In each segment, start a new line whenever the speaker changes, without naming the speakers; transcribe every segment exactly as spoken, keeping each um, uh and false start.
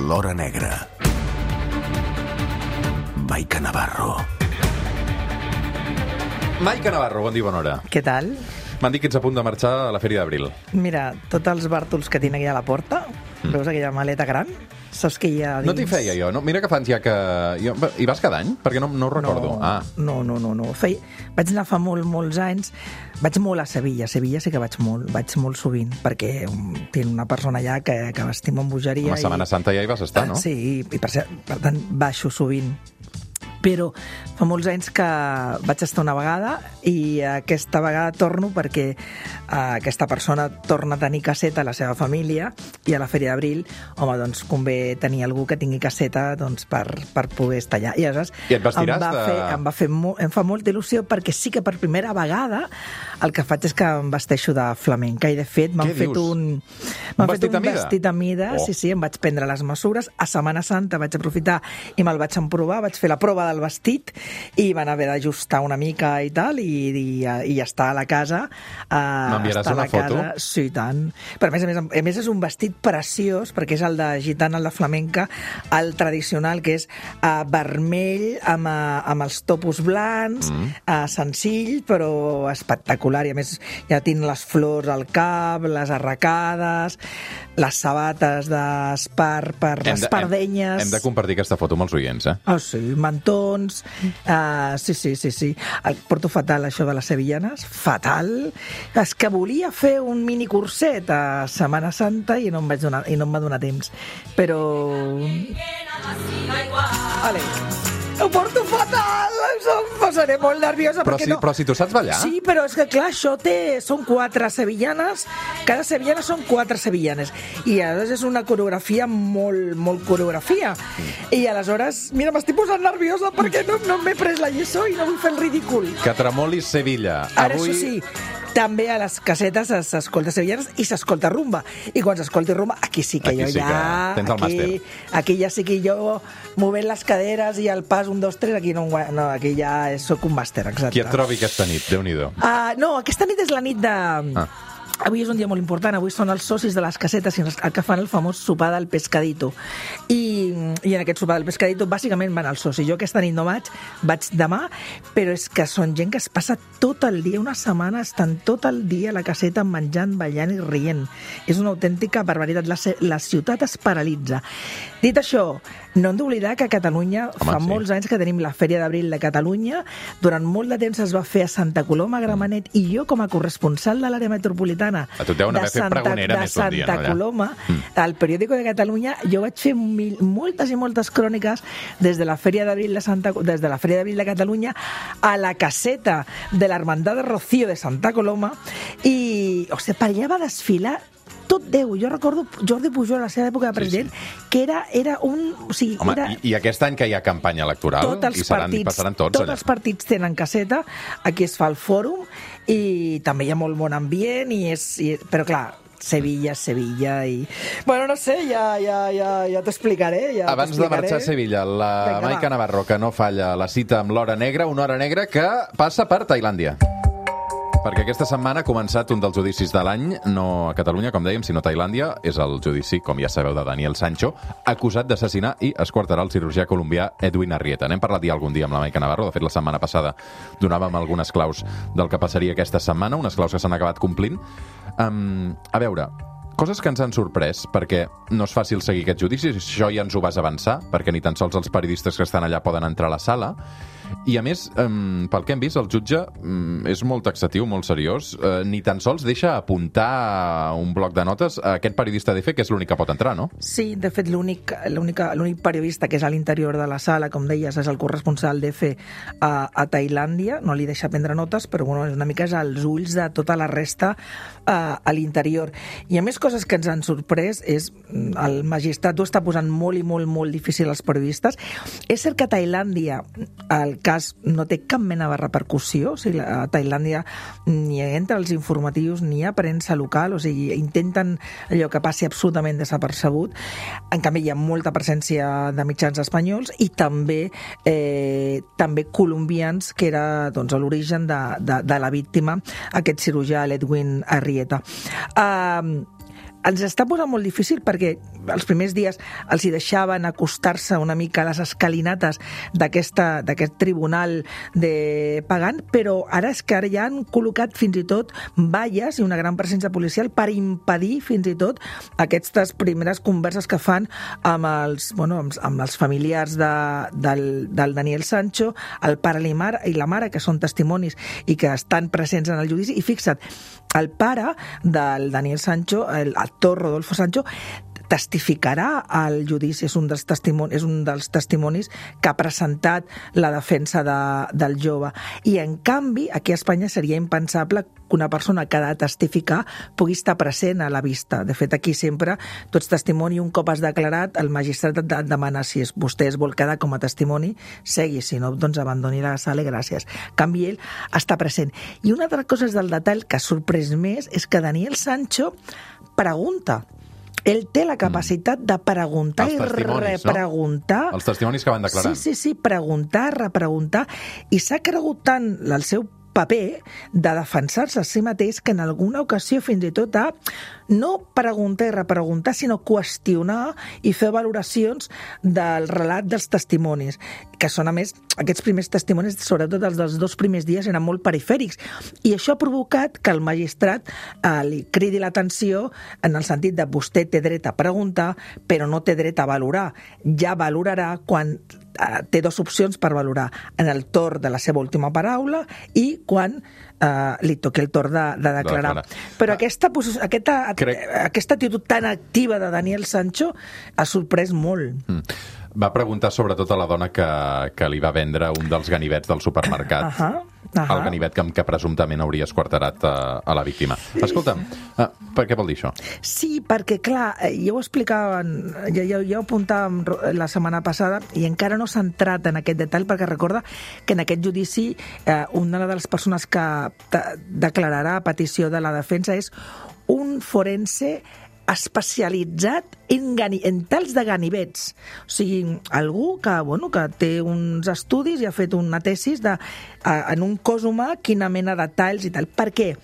L'Hora Negra. Maica Navarro.
Maica Navarro, bon dia, bona hora.
Què tal?
M'han dit que ets a punt de marxar a la Fèria d'Abril.
Mira, tots els bàrtols que tinc aquí a la porta, mm. veus aquella maleta gran? Saps que hi ha dins?
No t'hi feia jo, no? Mira que fa anys ja que... Jo... Hi vas cada any? Perquè no, no ho recordo.
No,
ah.
no, no, no. no. Feia... Vaig anar fa molt, molts anys. Vaig molt a Sevilla. A Sevilla sí que vaig molt, vaig molt sovint, perquè tinc una persona allà que, que m'estimo amb bogeria.
Home, Setmana i... Santa ja hi vas estar, no?
Sí, i per, per tant baixo sovint. Però fa molts anys que vaig estar una vegada i aquesta vegada torno perquè aquesta persona torna a tenir caseta a la seva família i a la Fèria d'Abril, home, doncs convé tenir algú que tingui caseta doncs, per, per poder estar allà. I aleshores
I et vestiràs
em va,
de...
fer, em, va fer mo, em fa molta il·lusió perquè sí que per primera vegada el que faig és que em vesteixo de flamenca i de fet m'han fet
dius?
un,
un
fet
vestit
un
a mida?
vestit a mida.
Oh.
Sí, sí, em vaig prendre les mesures. A Setmana Santa vaig aprofitar i me'l vaig emprovar, vaig fer la prova del vestit i van haver d'ajustar una mica i tal, i, i, i ja està a la casa. Uh,
M'enviaràs una foto?
Casa, sí, i tant. Però a més, a més, a més és un vestit preciós, perquè és el de gitana, el de flamenca, el tradicional, que és uh, vermell, amb, uh, amb els topos blancs, mm. uh, senzill, però espectacular. I a més ja tinc les flors al cap, les arracades, les sabates d'espar per les pardenyes.
Hem, hem de compartir aquesta foto amb els oients, eh?
Ah, sí, mantons. Uh, sí, sí, sí, sí. El porto fatal, això de les sevillanes. Fatal. És que volia fer un mini curset a Setmana Santa i no em vaig donar, i no em va donar temps. Però... Ale. Ho porto fatal! Em posaré molt nerviosa.
Però, sí,
no...
però si tu saps ballar...
Sí, però és que clar, això té... Són quatre sevillanes, cada sevillana són quatre sevillanes. I aleshores és una coreografia molt, molt coreografia. I aleshores, mira, m'estic posant nerviosa perquè no, no m'he pres la lliçó i no vull fer el ridícul.
Que tremolis Sevilla.
Ara,
Avui...
això sí, també a les casetes s'escolta sevillanes i s'escolta rumba. I quan s'escolti rumba, aquí sí que
aquí
jo
sí
ja...
Que tens el
aquí,
màster.
Aquí ja sí que jo, movent les caderes i el pas un, dos, tres, aquí no, no aquí ja soc un màster, exacte.
Qui et trobi aquesta nit? Déu-n'hi-do.
Uh, no, aquesta nit és la nit de... Ah. Avui és un dia molt important, avui són els socis de les casetes el que fan el famós sopar del pescadito. I, i en aquest sopar del pescadito bàsicament van els socis. Jo aquesta nit no vaig, vaig demà, però és que són gent que es passa tot el dia, una setmana, estan tot el dia a la caseta menjant, ballant i rient. És una autèntica barbaritat. La, la ciutat es paralitza. Dit això, no hem d'oblidar que a Catalunya Home, fa sí. molts anys que tenim la Fèria d'Abril de Catalunya. Durant molt de temps es va fer a Santa Coloma, a Gramenet, i jo com a corresponsal de l'àrea metropolitana
a tu deuen haver fet pregonera més un dia, no?
De Santa Coloma, mm. al periòdico de Catalunya, jo vaig fer mil, moltes i moltes cròniques des de la Fèria d'Abril de Santa, des de la Fèria d'Abril de Catalunya a la caseta de l'Hermandad de Rocío de Santa Coloma i, o sigui, per allà va desfilar tot Déu. Jo recordo Jordi Pujol a la seva època de president, sí, sí. que era, era un... O sigui,
Home,
era...
i, i aquest any que hi ha campanya electoral,
tots
i seran,
partits,
hi passaran tots,
tots
allà.
els partits tenen caseta, aquí es fa el fòrum, i també hi ha molt bon ambient, i és, i, però clar, Sevilla, Sevilla i... Bueno, no sé, ja, ja, ja, ja t'explicaré. Ja
Abans de marxar a Sevilla, la Venga, Maica Navarro, que no falla la cita amb l'Hora Negra, una Hora Negra que passa per Tailàndia. Perquè aquesta setmana ha començat un dels judicis de l'any, no a Catalunya, com dèiem, sinó a Tailàndia. És el judici, com ja sabeu, de Daniel Sancho, acusat d'assassinar i esquarterar el cirurgià colombià Edwin Arrieta. N'hem parlat ja algun dia amb la Maica Navarro. De fet, la setmana passada donàvem algunes claus del que passaria aquesta setmana, unes claus que s'han acabat complint. Um, a veure, coses que ens han sorprès, perquè no és fàcil seguir aquest judici, això ja ens ho vas avançar, perquè ni tan sols els periodistes que estan allà poden entrar a la sala. I a més, um, pel que hem vist, el jutge um, és molt taxatiu, molt seriós, uh, ni tan sols deixa apuntar un bloc de notes a aquest periodista d'E F E, que és l'únic que pot entrar, no?
Sí, de fet, l'únic l'únic periodista que és a l'interior de la sala, com deies, és el corresponsal d'E F E a, a Tailàndia, no li deixa prendre notes, però bueno, una mica és als ulls de tota la resta uh, a l'interior. I a més, coses que ens han sorprès és el magistrat ho està posant molt i molt, molt difícil als periodistes. És cert que a Tailàndia el cas no té cap mena de repercussió, o sigui, a Tailàndia ni entre els informatius ni hi ha premsa local, o sigui, intenten allò que passi absolutament desapercebut. En canvi, hi ha molta presència de mitjans espanyols i també eh, també colombians, que era doncs, l'origen de, de, de la víctima, aquest cirurgià, l'Edwin Arrieta. Uh, ens està posant molt difícil perquè els primers dies els hi deixaven acostar-se una mica a les escalinates d'aquesta d'aquest tribunal de pagant, però ara és que ara ja han col·locat fins i tot valles i una gran presència policial per impedir fins i tot aquestes primeres converses que fan amb els, bueno, amb, amb els familiars de, del, del Daniel Sancho, el pare i la mare, i la mare, que són testimonis i que estan presents en el judici. I fixa't, el pare del Daniel Sancho, el actor Rodolfo Sancho, testificarà al judici, és un dels testimonis, és un dels testimonis que ha presentat la defensa de, del jove. I, en canvi, aquí a Espanya seria impensable que una persona que ha de testificar pugui estar present a la vista. De fet, aquí sempre tu ets testimoni, un cop has declarat, el magistrat et demana si és, vostè es vol quedar com a testimoni, segui, si no, doncs abandoni la sala i gràcies. En canvi, ell està present. I una altra cosa del detall que ha sorprès més és que Daniel Sancho pregunta. Ell té la capacitat de preguntar i repreguntar.
No? Els testimonis que van declarar.
Sí, sí, sí, preguntar, repreguntar. I s'ha cregut tant el seu paper de defensar-se a si mateix que en alguna ocasió fins i tot ha no preguntar i repreguntar, sinó qüestionar i fer valoracions del relat dels testimonis, que són, a més, aquests primers testimonis, sobretot els dels dos primers dies, eren molt perifèrics. I això ha provocat que el magistrat eh, li cridi l'atenció en el sentit de vostè té dret a preguntar, però no té dret a valorar. Ja valorarà quan eh, té dues opcions per valorar, en el torn de la seva última paraula i quan eh, li toqui el torn de, de declarar. De declarar. Però ah, aquesta, aquesta, crec... aquesta actitud tan activa de Daniel Sancho ha sorprès molt. Mm.
Va preguntar sobretot a la dona que, que li va vendre un dels ganivets del supermercat. Uh -huh, uh -huh. El ganivet que, que presumptament hauria esquarterat a, a la víctima. Escolta'm, uh, per què vol dir això?
Sí, perquè, clar, ja ho explicaven, ja, ja, ja ho apuntàvem la setmana passada i encara no s'ha entrat en aquest detall perquè recorda que en aquest judici eh, una de les persones que declararà a petició de la defensa és un forense especialitzat en, gani, en tals de ganivets. O sigui, algú que, bueno, que té uns estudis i ha fet una tesis de, a, en un cos humà quina mena de talls i tal. Per què?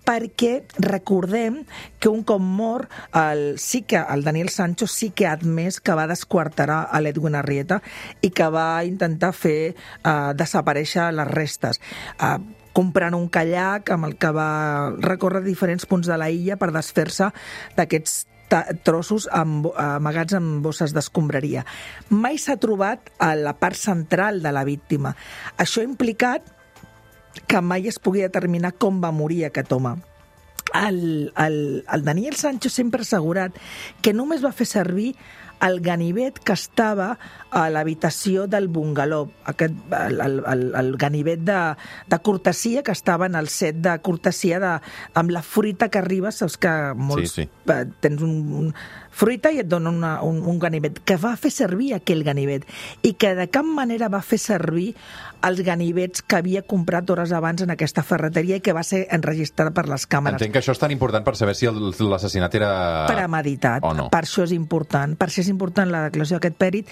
Perquè recordem que un cop mort, el, sí que el Daniel Sancho sí que ha admès que va desquarterar a l'Edwin Arrieta i que va intentar fer uh, desaparèixer les restes. Uh, comprant un kayak amb el que va recórrer diferents punts de la illa per desfer-se d'aquests trossos amagats en bosses d'escombraria. Mai s'ha trobat a la part central de la víctima. Això ha implicat que mai es pugui determinar com va morir aquest home. El, el, el Daniel Sancho sempre ha assegurat que només va fer servir el ganivet que estava a l'habitació del bungalou, aquest, el, el, el ganivet de, de cortesia que estava en el set de cortesia de, amb la fruita que arriba, saps que molts sí, sí. tens un, un fruita i et dona una, un, un ganivet, que va fer servir aquell ganivet i que de cap manera va fer servir els ganivets que havia comprat hores abans en aquesta ferreteria i que va ser enregistrat per les càmeres.
Entenc que això és tan important per saber si l'assassinat era
premeditat.
O no.
Per això és important. Per això és important la declaració d'aquest pèrit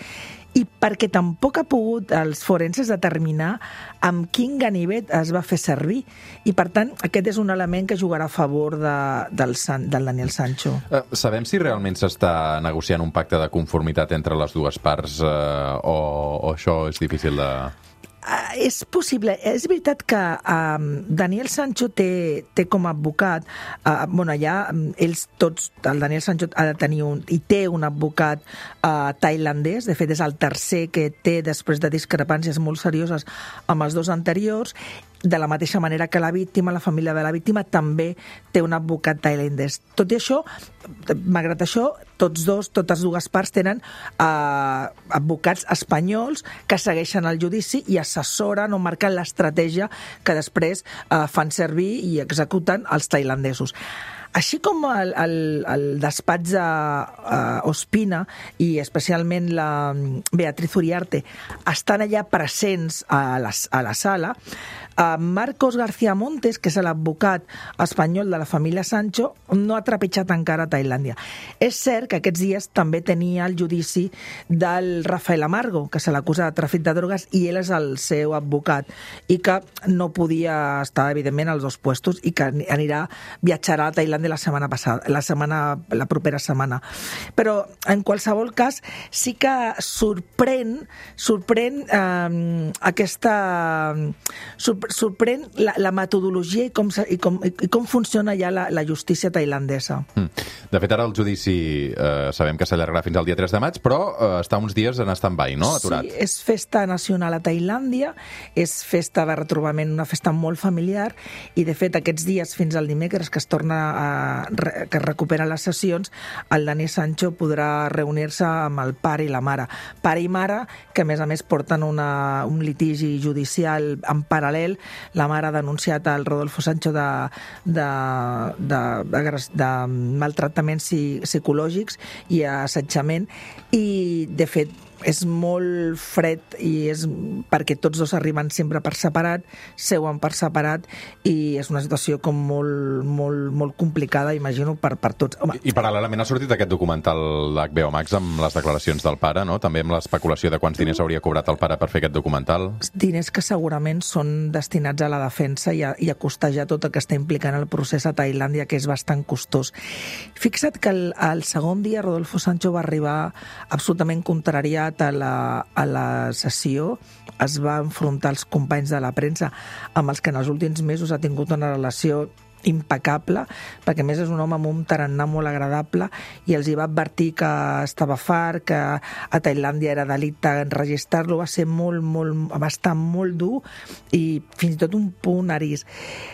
i perquè tampoc ha pogut els forenses determinar amb quin ganivet es va fer servir. I, per tant, aquest és un element que jugarà a favor de, del, San, del Daniel Sancho.
Uh, sabem si realment s'està negociant un pacte de conformitat entre les dues parts uh, o, o això és difícil de...
Uh, és possible. És veritat que uh, Daniel Sancho té, té com a advocat, uh, bueno, allà ells tots, el Daniel Sancho ha de tenir un, i té un advocat uh, tailandès, de fet és el tercer que té després de discrepàncies molt serioses amb els dos anteriors, de la mateixa manera que la víctima, la família de la víctima, també té un advocat tailandès. Tot i això, malgrat això, tots dos, totes dues parts tenen eh, advocats espanyols que segueixen el judici i assessoren o marquen l'estratègia que després eh, fan servir i executen els tailandesos. Així com el, el, el despatx de uh, Ospina i especialment la Beatriz Uriarte estan allà presents a la, a la sala, Uh, Marcos García Montes, que és l'advocat espanyol de la família Sancho, no ha trepitjat encara a Tailàndia. És cert que aquests dies també tenia el judici del Rafael Amargo, que se l'acusa de tràfic de drogues i ell és el seu advocat, i que no podia estar, evidentment, als dos puestos i que anirà, viatjarà a Tailàndia la setmana passada, la setmana, la propera setmana. Però, en qualsevol cas, sí que sorprèn, sorprèn eh, aquesta... sorprèn la, la metodologia i com, i, com, i com funciona ja la, la justícia tailandesa. Mm.
De fet, ara el judici eh, sabem que s'allargarà fins al dia tres de maig, però eh, està uns dies en stand-by, no? Aturat.
Sí, és festa nacional a Tailàndia, és festa de retrobament, una festa molt familiar, i de fet aquests dies fins al dimecres que es torna a, que es recuperen les sessions, el Dani Sancho podrà reunir-se amb el pare i la mare. Pare i mare que a més a més porten una, un litigi judicial en paral·lel. La mare ha denunciat al Rodolfo Sancho de, de, de, de, de maltractaments psicològics i assetjament, i de fet és molt fred i és perquè tots dos arriben sempre per separat, seuen per separat, i és una situació com molt, molt, molt complicada, imagino, per, per tots. Home.
I, I paral·lelament ha sortit aquest documental d'H B O Max amb les declaracions del pare, no? També amb l'especulació de quants diners hauria cobrat el pare per fer aquest documental.
Diners que segurament són destinats a la defensa i a, i a costejar tot el que està implicant el procés a Tailàndia, que és bastant costós. Fixa't que el, el segon dia Rodolfo Sancho va arribar absolutament contrariat a la, a la sessió, es va enfrontar als companys de la premsa amb els que en els últims mesos ha tingut una relació impecable, perquè a més és un home amb un tarannà molt agradable, i els hi va advertir que estava fart, que a Tailàndia era delicte enregistrar-lo. Va ser molt, molt, va estar molt dur i fins i tot un punt arís.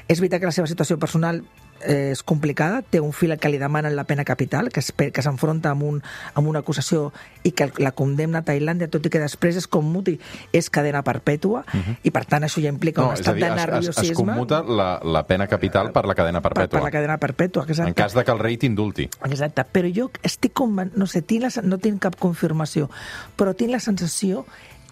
És veritat que la seva situació personal és complicada, té un fill que li demanen la pena capital, que, es, que s'enfronta amb, un, amb una acusació i que la condemna a Tailàndia, tot i que després és com muti, és cadena perpètua, uh-huh. i per tant això ja implica no, un estat dir, de nerviosisme.
Es, es commuta la, la pena capital per la cadena perpètua.
Per, per la cadena perpètua, exacte.
En cas de que el rei t'indulti.
Exacte, però jo estic conven... no sé, tinc la... no tinc cap confirmació, però tinc la sensació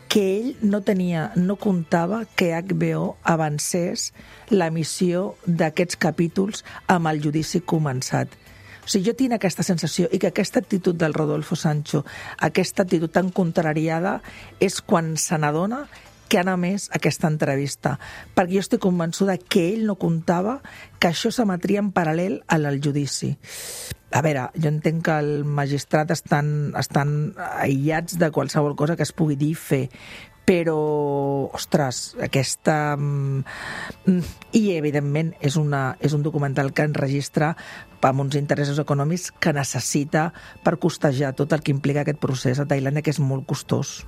que ell no tenia, no comptava que H B O avancés l'emissió d'aquests capítols amb el judici començat. O sigui, jo tinc aquesta sensació, i que aquesta actitud del Rodolfo Sancho, aquesta actitud tan contrariada, és quan se n'adona que han emès aquesta entrevista, perquè jo estic convençuda que ell no comptava que això s'emetria en paral·lel al judici. A veure, jo entenc que el magistrat estan, estan aïllats de qualsevol cosa que es pugui dir i fer, però, ostres, aquesta... I, evidentment, és, una, és un documental que enregistra amb uns interessos econòmics que necessita per costejar tot el que implica aquest procés a Tailàndia, que és molt costós.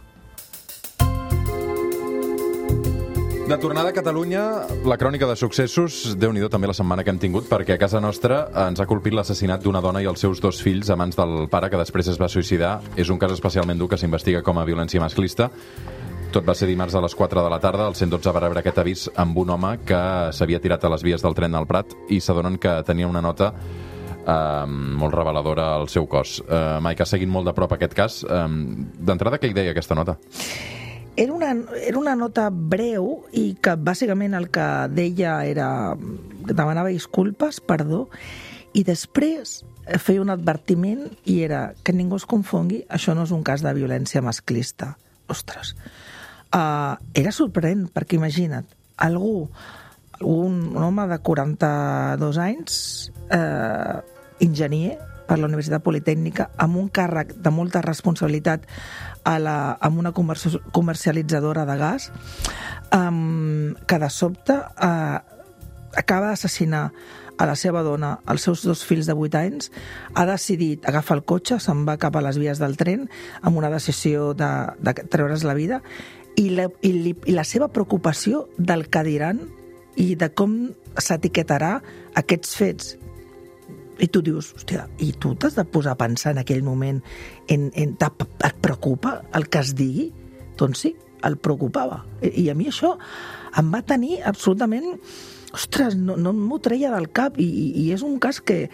De tornada a Catalunya, la crònica de successos, Déu-n'hi-do també la setmana que hem tingut, perquè a casa nostra ens ha colpit l'assassinat d'una dona i els seus dos fills a mans del pare, que després es va suïcidar. És un cas especialment dur que s'investiga com a violència masclista. Tot va ser dimarts a les quatre de la tarda. El cent dotze va rebre aquest avís amb un home que s'havia tirat a les vies del tren al Prat i s'adonen que tenia una nota eh, molt reveladora al seu cos. Eh, Maica, seguint molt de prop aquest cas, eh, d'entrada, què hi deia aquesta nota?
Era una, era una nota breu i que bàsicament el que deia era que demanava disculpes, perdó, i després feia un advertiment i era que ningú es confongui, això no és un cas de violència masclista. Ostres, uh, era sorprenent, perquè imagina't, algú, un, un home de quaranta-dos anys, uh, enginyer per la Universitat Politècnica, amb un càrrec de molta responsabilitat a la, amb una comercialitzadora de gas, um, que de sobte uh, acaba d'assassinar a la seva dona, els seus dos fills de vuit anys, ha decidit agafar el cotxe, se'n va cap a les vies del tren, amb una decisió de, de treure's la vida, i la, i, li, i la seva preocupació del que diran i de com s'etiquetarà aquests fets. I tu dius, hòstia, i tu t'has de posar a pensar en aquell moment, en, en, et preocupa el que es digui? Doncs sí, el preocupava. I, i a mi això em va tenir absolutament... Ostres, no, no m'ho treia del cap, i, i, i és un cas que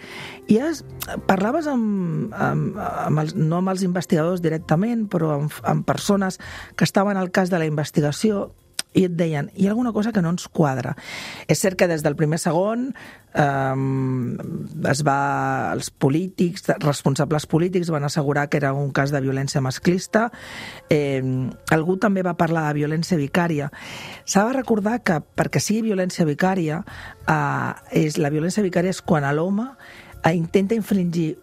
ja es, parlaves amb, amb, amb els, no amb els investigadors directament, però amb, amb persones que estaven al cas de la investigació, i et deien, hi ha alguna cosa que no ens quadra. És cert que des del primer segon eh, es va, els polítics, responsables polítics van assegurar que era un cas de violència masclista. Eh, algú també va parlar de violència vicària. S'ha de recordar que perquè sigui violència vicària, eh, és, la violència vicària és quan l'home eh, intenta infligir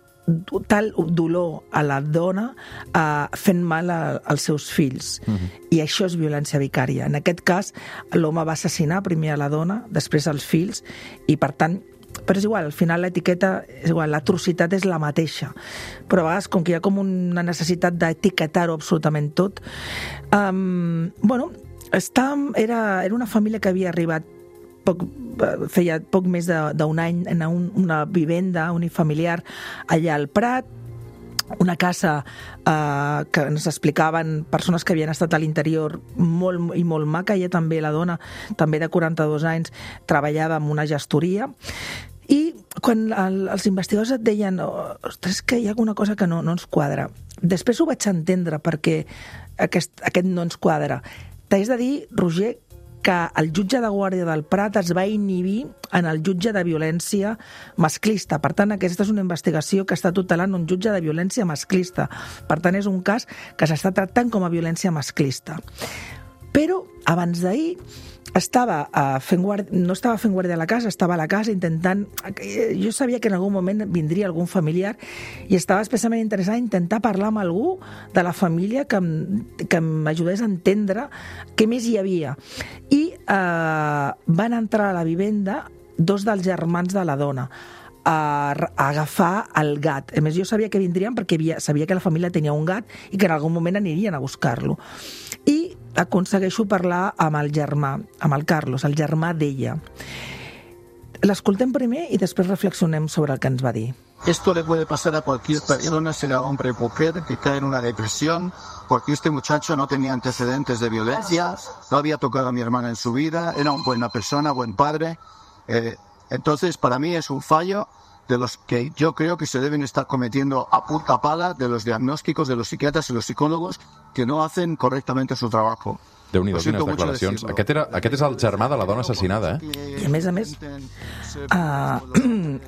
tal dolor a la dona uh, fent mal a, als seus fills. Uh-huh. I això és violència vicària. En aquest cas, l'home va assassinar primer a la dona, després als fills, i per tant, però és igual, al final l'etiqueta és igual, l'atrocitat és la mateixa. Però a vegades, com que hi ha com una necessitat d'etiquetar-ho absolutament tot, um, bueno, està, era, era una família que havia arribat Poc, feia poc més d'un any en un, una vivenda unifamiliar allà al Prat, una casa eh, que ens explicaven persones que havien estat a l'interior molt i molt maca. Ella també, la dona, també de quaranta-dos anys, treballava en una gestoria. I quan el, els investigadors et deien ostres, que hi ha alguna cosa que no, no ens quadra. Després ho vaig entendre perquè aquest, aquest no ens quadra. T'haig de dir, Roger, que el jutge de Guàrdia del Prat es va inhibir en el jutge de violència masclista. Per tant, aquesta és una investigació que està tutelant un jutge de violència masclista. Per tant, és un cas que s'està tractant com a violència masclista. Però, abans d'ahir, estava uh, fent guàrdia, no estava fent guàrdia a la casa, estava a la casa intentant... Jo sabia que en algun moment vindria algun familiar i estava especialment interessada en intentar parlar amb algú de la família que, que m'ajudés a entendre què més hi havia. I uh, van entrar a la vivenda dos dels germans de la dona a, a agafar el gat. A més, jo sabia que vindrien perquè havia, sabia que la família tenia un gat i que en algun moment anirien a buscar-lo. I aconsegueixo parlar amb el germà, amb el Carlos, el germà d'ella. L'escoltem primer i després reflexionem sobre el que ens va dir.
Esto le puede pasar a cualquier persona, sea hombre o mujer, que cae en una depresión, porque este muchacho no tenía antecedentes de violencia, no había tocado a mi hermana en su vida, era una buena persona, buen padre. Eh, entonces, para mí es un fallo de los que yo creo que se deben estar cometiendo a punta pala de los diagnósticos de los psiquiatras y los psicólogos que no hacen correctament su trabajo.
Déu-n'hi-do, quines declaracions. Aquest, era, aquest és el germà de la dona assassinada, eh?
I a més a més, uh,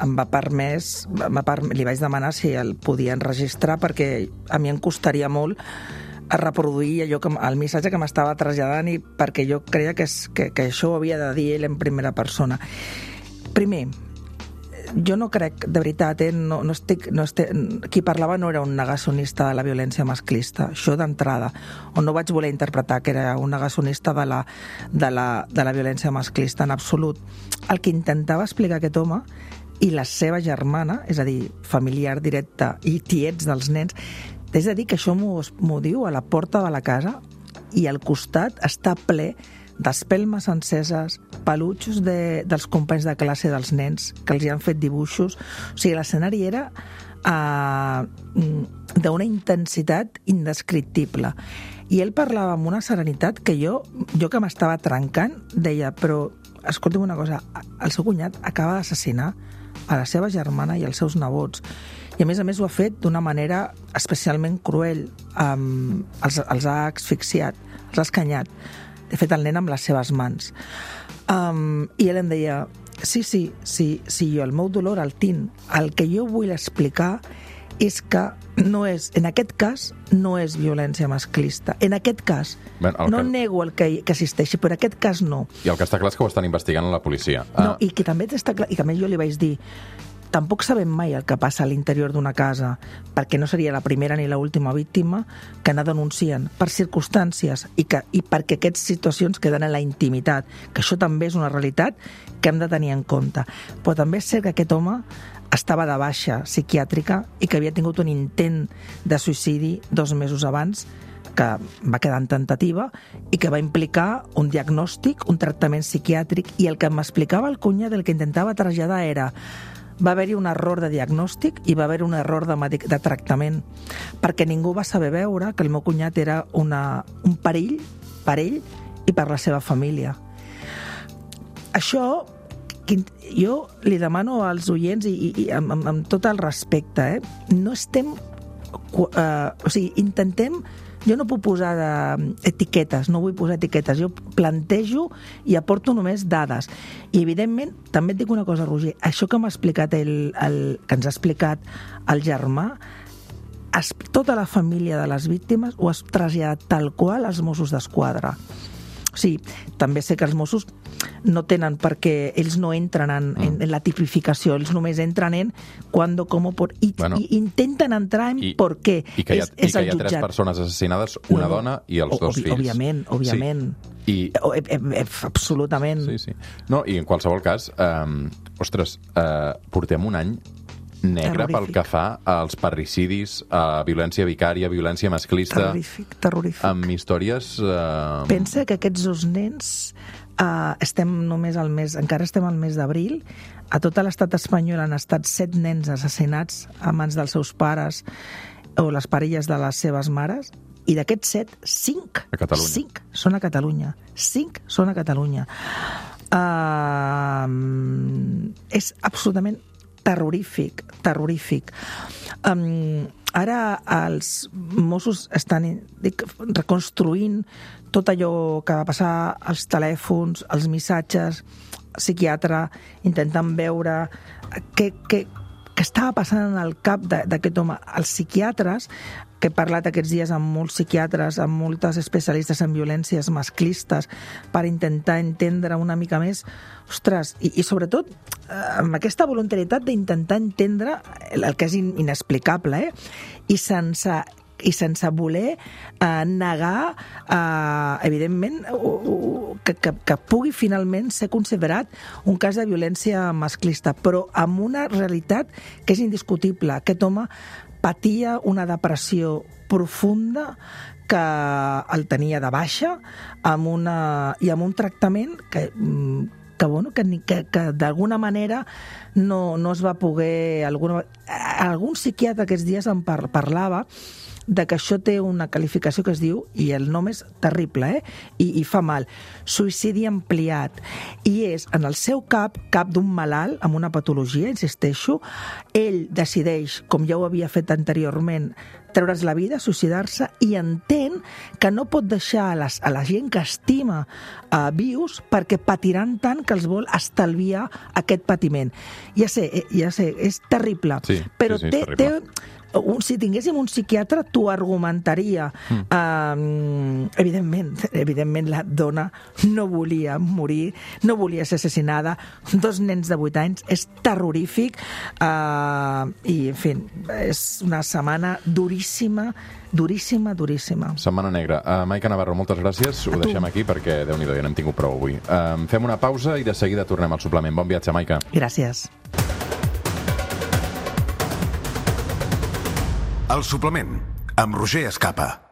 em va permès, va per, li vaig demanar si el podia enregistrar perquè a mi em costaria molt a reproduir allò que, el missatge que m'estava traslladant i perquè jo creia que, és, que, que això ho havia de dir ell en primera persona. Primer, jo no crec, de veritat, eh, no, no estic, no estic, qui parlava no era un negacionista de la violència masclista, això d'entrada, o no vaig voler interpretar que era un negacionista de la, de la, de la violència masclista, en absolut. El que intentava explicar aquest home i la seva germana, és a dir, familiar directe i tiets dels nens, és a dir, que això m'ho diu a la porta de la casa i al costat està ple d'espelmes enceses, peluixos de, dels companys de classe dels nens que els hi han fet dibuixos. O sigui, l'escenari era uh, d'una intensitat indescriptible. I ell parlava amb una serenitat que jo, jo que m'estava trencant, deia, però escolta'm una cosa, el seu cunyat acaba d'assassinar a la seva germana i als seus nebots. I a més a més ho ha fet d'una manera especialment cruel. Um, els, els ha asfixiat, els ha escanyat. De fet, el nen amb les seves mans. Um, I ell em deia, sí, sí, sí, sí, jo el meu dolor el tinc. El que jo vull explicar és que no és, en aquest cas, no és violència masclista. En aquest cas, ben, no que... nego el que, que existeixi, però en aquest cas no.
I el que està clar és que ho estan investigant a la policia.
No, ah. i que també està clar, i que a més jo li vaig dir, tampoc sabem mai el que passa a l'interior d'una casa, perquè no seria la primera ni l'última víctima que la denuncien per circumstàncies i, que, i perquè aquestes situacions queden en la intimitat, que això també és una realitat que hem de tenir en compte. Però també és cert que aquest home estava de baixa psiquiàtrica i que havia tingut un intent de suïcidi dos mesos abans, que va quedar en tentativa i que va implicar un diagnòstic, un tractament psiquiàtric, i el que m'explicava el cunyat, el que intentava traslladar era va haver-hi un error de diagnòstic i va haver un error de, medic de tractament, perquè ningú va saber veure que el meu cunyat era una, un perill per ell i per la seva família. Això, jo li demano als oients, i, i, i amb, amb, amb tot el respecte, eh, no estem... Uh, o sigui, intentem jo no puc posar de, etiquetes, no vull posar etiquetes, jo plantejo i aporto només dades. I, evidentment, també et dic una cosa, Roger, això que m'ha explicat el, el, que ens ha explicat el germà, es, tota la família de les víctimes ho has traslladat tal qual als Mossos d'Esquadra. O sigui, també sé que els Mossos no tenen perquè ells no entren en, en, en la tipificació, ells només entren en quan, com, por, i, bueno, i intenten entrar en
i,
per què.
I que hi ha,
és,
i que hi ha tres persones assassinades, una no, no, dona i els dos
obvi,
fills.
Òbviament, òbviament. Sí. I... O, e, e, absolutament.
Sí, sí. No, i en qualsevol cas, eh, ostres, eh, portem un any negre terrorífic. Pel que fa als parricidis, a violència vicària, violència masclista...
Terrorífic, terrorífic.
Amb històries... Eh...
Pensa que aquests dos nens, eh, estem només al mes, encara estem al mes d'abril, a tot l'estat espanyol han estat set nens assassinats a mans dels seus pares o les parelles de les seves mares, i d'aquests set, cinc, cinc són a Catalunya. Cinc són a Catalunya. Uh, és absolutament terrorífic, terrorífic. Um, ara els Mossos estan dic, reconstruint tot allò que va passar, els telèfons, els missatges, psiquiatre, intentant veure què, què, què estava passant en el cap d'aquest home. Els psiquiatres, que he parlat aquests dies amb molts psiquiatres, amb moltes especialistes en violències masclistes, per intentar entendre una mica més, ostres, i, i sobretot amb aquesta voluntarietat d'intentar entendre el, el que és inexplicable, eh? I sense i sense voler eh, negar, eh, evidentment, uh, que, que, que pugui finalment ser considerat un cas de violència masclista, però amb una realitat que és indiscutible. Aquest home patia una depressió profunda que el tenia de baixa amb una, i amb un tractament que... que, bueno, que, que, que d'alguna manera no, no es va poder... Alguna, algun psiquiatre aquests dies em par, parlava de que això té una qualificació que es diu, i el nom és terrible, eh? I, i fa mal, suïcidi ampliat. I és, en el seu cap, cap d'un malalt amb una patologia, insisteixo, ell decideix, com ja ho havia fet anteriorment, treure's la vida, suïcidar-se, i entén que no pot deixar a, les, a la gent que estima uh, vius perquè patiran tant que els vol estalviar aquest patiment. Ja sé, ja sé, és terrible,
sí,
però
sí, sí,
té... té un, si tinguéssim un psiquiatre, t'ho argumentaria. Mm. Um, evidentment, evidentment, la dona no volia morir, no volia ser assassinada. Dos nens de vuit anys, és terrorífic. Uh, I, en fi, és una setmana duríssima, duríssima, duríssima.
Setmana negra. Uh, Maica Navarro, moltes gràcies. Ho deixem aquí perquè, Déu-n'hi-do, ja n'hem tingut prou avui. Uh, fem una pausa i de seguida tornem al suplement. Bon viatge, Maica.
Gràcies.
El suplement, amb Roger Escapa.